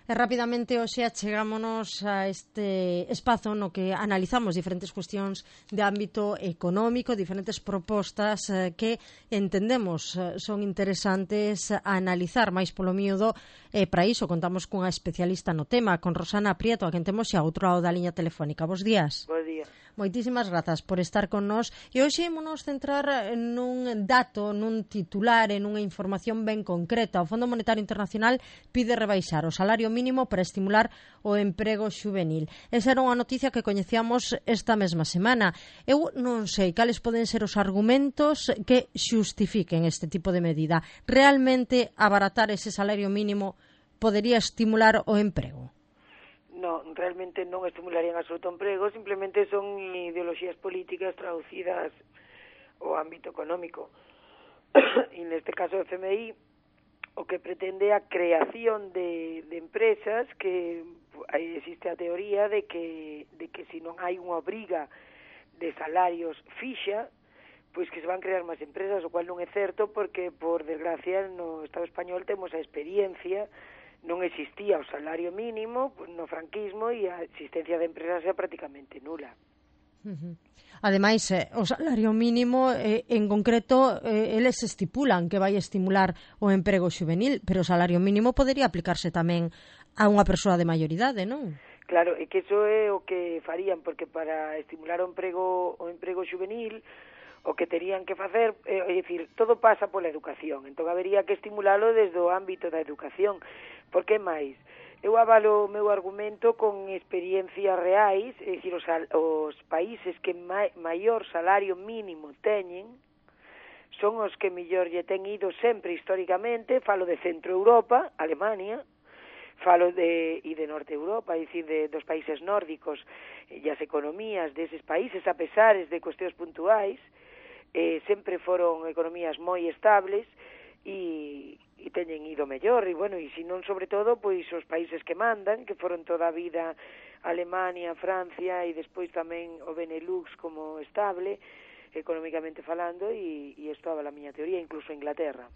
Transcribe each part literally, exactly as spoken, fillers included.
E rapidamente hoxe achegámonos a este espazo no que analizamos diferentes cuestións de ámbito económico, diferentes propostas eh, que entendemos eh, son interesantes a analizar máis polo miúdo, e eh, para iso contamos cunha especialista no tema, con Rosana Prieto, a quen temos xa outro lado da liña telefónica. Bos días. Bos días. Moitísimas grazas por estar con nós e hoxe ímonos centrar nun dato, nun titular, en unha información ben concreta. O Fondo Monetario Internacional pide rebaixar o salario mínimo para estimular o emprego xuvenil. Esa era unha noticia que coñecíamos esta mesma semana. Eu non sei cales poden ser os argumentos que xustifiquen este tipo de medida. Realmente abaratar ese salario mínimo podería estimular o emprego? No, realmente non estimularían absoluto o emprego, simplemente son ideoloxías políticas traducidas ao ámbito económico. E neste caso o F M I o que pretende a creación de, de empresas, que aí existe a teoría de que, de que se non hai unha obriga de salarios fixa, pois que se van crear máis empresas, o cual non é certo porque, por desgracia, no Estado español temos a experiencia. Non existía o salario mínimo no franquismo e a existencia de empresas era prácticamente nula. Uh-huh. Ademais, eh, o salario mínimo, eh, en concreto, eh, eles estipulan que vai estimular o emprego xuvenil, pero o salario mínimo podería aplicarse tamén a unha persoa de maioridade, non? Claro, e que iso é o que farían, porque para estimular o emprego, o emprego xuvenil, o que terían que facer, é, é dicir, todo pasa pola educación, entón habería que estimulalo desde o ámbito da educación. Por que máis? Eu avalo o meu argumento con experiencias reais, é dicir, os, os países que ma, maior salario mínimo teñen son os que mellor lle ten ido sempre históricamente. Falo de Centro Europa, Alemania, falo de e de Norte Europa, é dicir, de, dos países nórdicos, e as economías deses países, a pesares de cuestións puntuais, eh, sempre foron economías moi estables e, e teñen ido mellor, e bueno, e se non sobre todo, pois os países que mandan, que foron toda a vida Alemania, Francia e despois tamén o Benelux como estable, económicamente falando, e, e isto avala a miña teoría, incluso Inglaterra.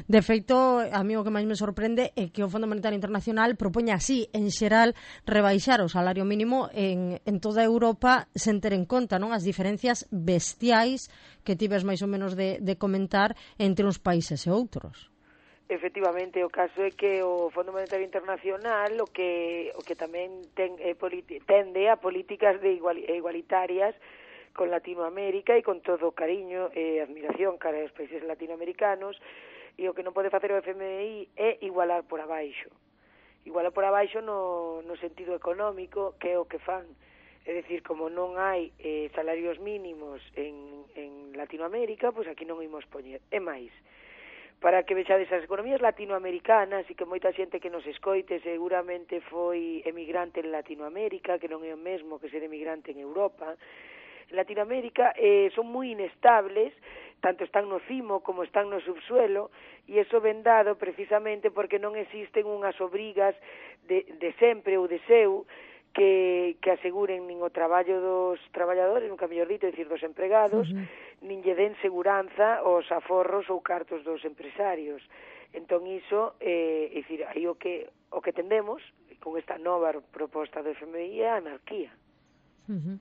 De feito, a mí o que máis me sorprende é que o Fondo Monetario Internacional propoña así, en xeral, rebaixar o salario mínimo en, en toda Europa sen ter en conta, non, as diferencias bestiais que tives máis ou menos de, de comentar entre uns países e outros. Efectivamente, o caso é que o Fondo Monetario Internacional o que o que tamén ten, eh, politi- tende a políticas de igual, igualitarias con Latinoamérica e con todo o cariño e admiración cara aos países latinoamericanos, e o que non pode facer o F M I é igualar por abaixo. Igualar por abaixo no, no sentido económico, que é o que fan. É dicir, como non hai eh, salarios mínimos en, en Latinoamérica, pois aquí non imos poñer. É máis, para que vexades as economías latinoamericanas, e que moita xente que nos escoite seguramente foi emigrante en Latinoamérica, que non é o mesmo que ser emigrante en Europa. En Latinoamérica eh, son moi inestables, tanto están no cimo como están no subsuelo, e iso ven dado precisamente porque non existen unhas obrigas de, de sempre ou de seu que, que aseguren nin o traballo dos traballadores, nunca mellor dito, é dicir, dos empregados, uh-huh. nin lle den seguranza aos aforros ou cartos dos empresarios. Entón iso, eh, é dicir, aí o que, o que tendemos con esta nova proposta do F M I é a anarquía. Uh-huh.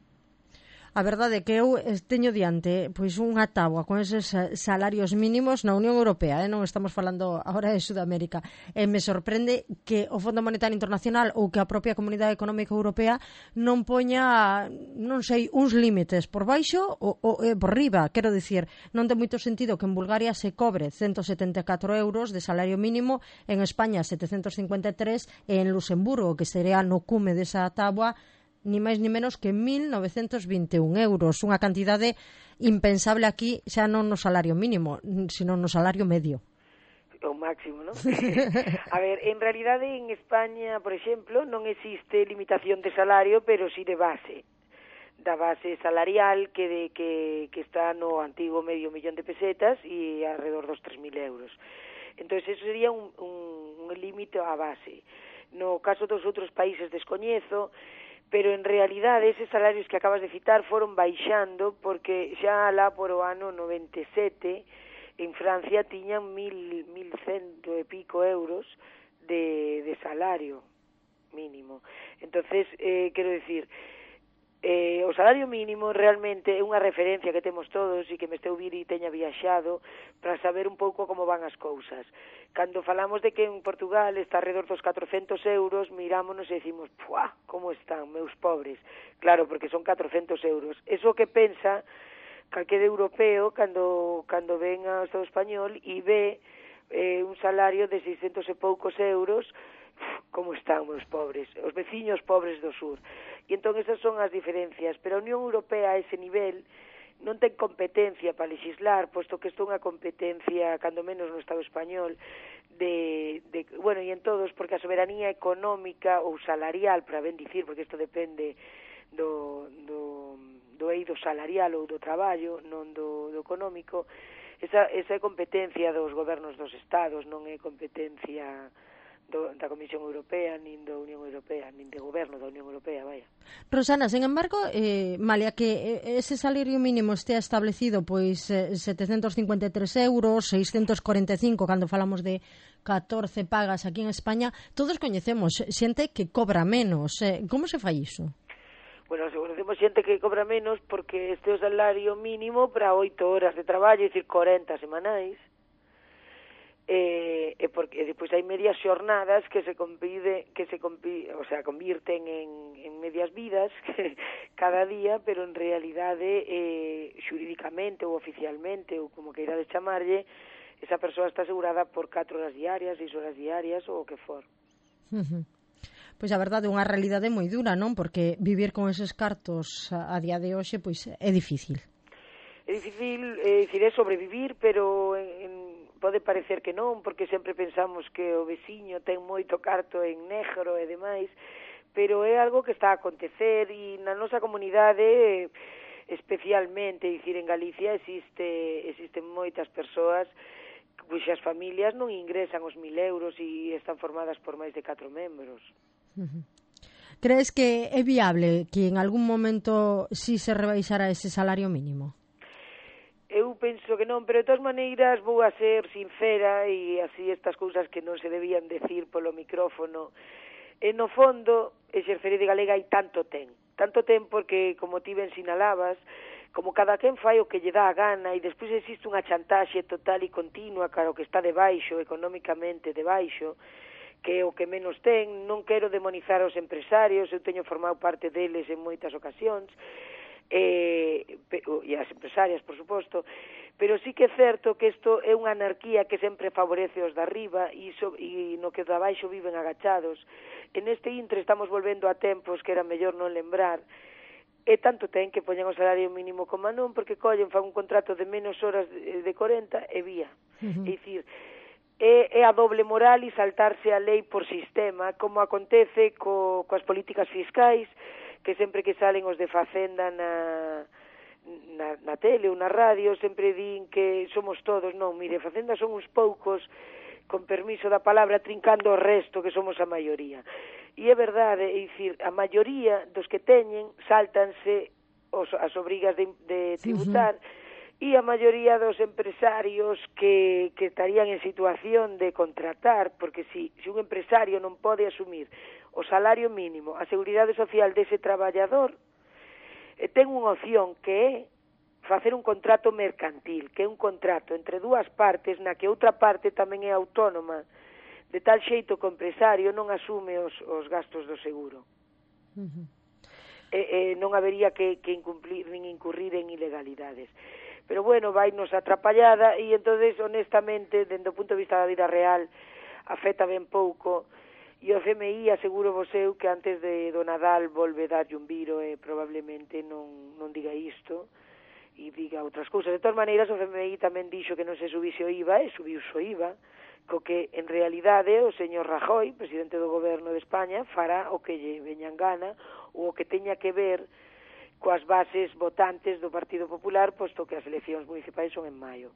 A verdade é que eu teño diante pois unha táboa con eses salarios mínimos na Unión Europea, eh? Non estamos falando agora de Sudamérica, e me sorprende que o Fondo Monetario Internacional ou que a propia Comunidade Económica Europea non poña, non sei, uns límites por baixo ou, ou eh, por riba. Quero dicir, non ten moito sentido que en Bulgaria se cobre ciento setenta e catro euros de salario mínimo, en España setecentos cincuenta e tres e en Luxemburgo, que sería no cume desa táboa, ni máis ni menos que mil novecentos vinte e un euros, unha cantidade impensable aquí, xa non no salario mínimo, sino no salario medio. O máximo, non? A ver, en realidade en España, por exemplo, non existe limitación de salario, pero sí de base, da base salarial que, de, que, que está no antigo medio millón de pesetas e alrededor dos tres mil euros. Entón, eso sería un, un, un límite a base. No caso dos outros países descoñezo, pero en realidade eses salarios que acabas de citar foron baixando, porque xa lá por o ano noventa e sete en Francia tiñan mil, mil cento e pico euros de, de salario mínimo. Entonces, eh, quero decir, eh, o salario mínimo realmente é unha referencia que temos todos e que me esteu vir e teña viaxado para saber un pouco como van as cousas. Cando falamos de que en Portugal está alrededor dos catrocentos euros, mirámonos e decimos, puá, como están, meus pobres. Claro, porque son catrocentos euros. Eso que pensa calquera europeo cando, cando ven ao Estado español e ve eh, un salario de seiscentos e poucos euros, como están os pobres, os veciños pobres do sur. E entón esas son as diferencias, pero a Unión Europea a ese nivel non ten competencia para legislar, posto que isto é unha competencia, cando menos no Estado español, de, de bueno, e en todos, porque a soberanía económica ou salarial, para ben dicir, porque isto depende do, do, do eido salarial ou do traballo, non do, do económico, esa, esa é competencia dos gobernos dos estados, non é competencia do, da Comisión Europea, nin da Unión Europea, nin de goberno da Unión Europea, vaya. Rosana, sen embargo, eh, malia que ese salario mínimo estea establecido pois eh, setecentos cincuenta e tres euros, seiscentos corenta e cinco cando falamos de catorce pagas aquí en España, todos coñecemos xente que cobra menos. Eh, como se fai iso? Bueno, conocemos xente que cobra menos porque este é o salario mínimo para oito horas de traballo, é dicir, corenta semanais. Eh, e porque depois hai medias xornadas que se compide, que se compide, o sea, convirten en, en medias vidas que, cada día, pero en realidade eh, xurídicamente ou oficialmente ou como queirades chamarlle, esa persoa está asegurada por catro horas diarias, seis horas diarias ou o que for. Uh-huh. Pois a verdade é unha realidade moi dura, non? Porque vivir con eses cartos a, a día de hoxe pois é difícil. É difícil, é dicir, é sobrevivir, pero en, en pode parecer que non, porque sempre pensamos que o veciño ten moito carto en negro e demais, pero é algo que está a acontecer e na nosa comunidade especialmente, é dicir, en Galicia existe existen moitas persoas cuxas familias non ingresan os mil euros e están formadas por máis de catro membros. Uh-huh. Crees que é viable que en algún momento si se rebaixara ese salario mínimo? Eu penso que non, pero de todas maneiras vou a ser sincera e así estas cousas que non se debían decir polo micrófono. E no fondo, exercer de galega hai tanto ten. Tanto ten porque, como ti ben sinalabas, como cada quen fai o que lle dá a gana e despois existe unha chantaxe total e continua cara o que está debaixo, económicamente debaixo, que é o que menos ten. Non quero demonizar aos empresarios, eu teño formado parte deles en moitas ocasións, Eh, e as empresarias, por suposto, pero sí que é certo que isto é unha anarquía que sempre favorece os de arriba e, so, e no que de abaixo viven agachados. En este intre estamos volvendo a tempos que era mellor non lembrar, e tanto ten que poñen o salario mínimo como non, porque collen, fan un contrato de menos horas de, de corenta e vía. Uh-huh. É dicir, é, é a doble moral e saltarse a lei por sistema, como acontece co, coas políticas fiscais, que sempre que salen os de Facenda na, na, na tele ou na radio, sempre din que somos todos. Non, mire, Facenda son uns poucos, con permiso da palabra, trincando o resto, que somos a maioría. E é verdade, é dicir, a maioría dos que teñen saltanse os, as obrigas de, de tributar, uh-huh. e a maioría dos empresarios que, que estarían en situación de contratar, porque si, si un empresario non pode asumir o salario mínimo, a seguridade social dese traballador, eh, ten unha opción que é facer un contrato mercantil, que é un contrato entre dúas partes na que outra parte tamén é autónoma, de tal xeito que o empresario non asume os, os gastos do seguro. Uh-huh. E, e non habería que, que incumplir nin incurrir en ilegalidades. Pero bueno, vainos atrapallada e entonces, honestamente, dende o punto de vista da vida real, afecta ben pouco. E o C M I, aseguro vos eu que antes de do Nadal volve darlle un viro e probablemente non, non diga isto e diga outras cousas. De todas maneiras, o C M I tamén dixo que non se subise o I V A e subiu o I V A, co que en realidade o señor Rajoy, presidente do goberno de España, fará o que lle veñan gana ou o que teña que ver coas bases votantes do Partido Popular, posto que as eleccións municipais son en maio.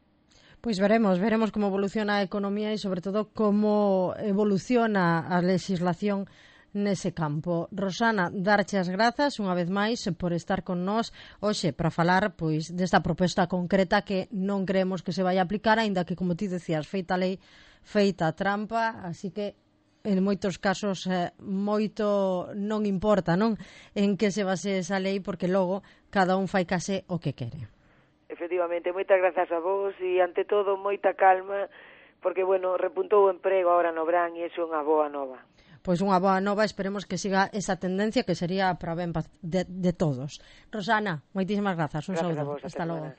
Pois veremos, veremos como evoluciona a economía e, sobre todo, como evoluciona a legislación nese campo. Rosana, darche as grazas unha vez máis por estar con nós hoxe para falar pois desta proposta concreta que non creemos que se vai aplicar, aínda que, como ti decías, feita lei, feita trampa, así que en moitos casos eh, moito non importa, non? En que se base esa lei, porque logo cada un fai case o que quere. Efectivamente, moitas grazas a vos e ante todo moita calma, porque, bueno, repuntou o emprego agora no verán e iso é unha boa nova. Pois unha boa nova, esperemos que siga esa tendencia que sería para ben de, de todos. Rosana, moitísimas grazas, un Grazas saúdo. a vos, hasta logo.